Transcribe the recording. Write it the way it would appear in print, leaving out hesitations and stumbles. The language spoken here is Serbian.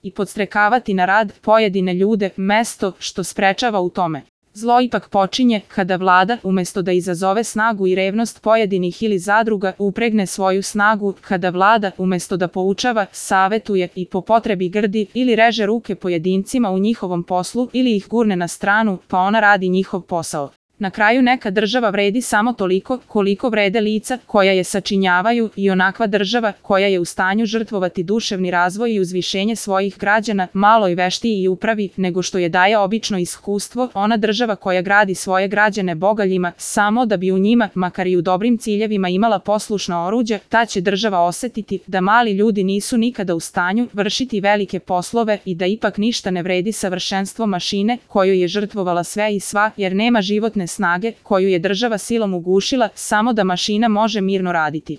i podstrekavati na rad pojedine ljude, mesto što sprečava u tome. Zlo ipak počinje kada vlada, umesto da izazove snagu i revnost pojedinih ili zadruga, upregne svoju snagu, kada vlada, umesto da poučava, savetuje i po potrebi grdi ili reže ruke pojedincima u njihovom poslu ili ih gurne na stranu, pa ona radi njihov posao. Na kraju neka država vredi samo toliko koliko vrede lica koja je sačinjavaju i onakva država koja je u stanju žrtvovati duševni razvoj i uzvišenje svojih građana malo i veštiji i upravi nego što je daje obično iskustvo, ona država koja gradi svoje građane bogaljima samo da bi u njima, makar i u dobrim ciljevima, imala poslušna oruđa, ta će država osetiti da mali ljudi nisu nikada u stanju vršiti velike poslove i da ipak ništa ne vredi savršenstvo mašine koju je žrtvovala sve i sva, jer nema životne snage koju je država silom ugušila samo da mašina može mirno raditi.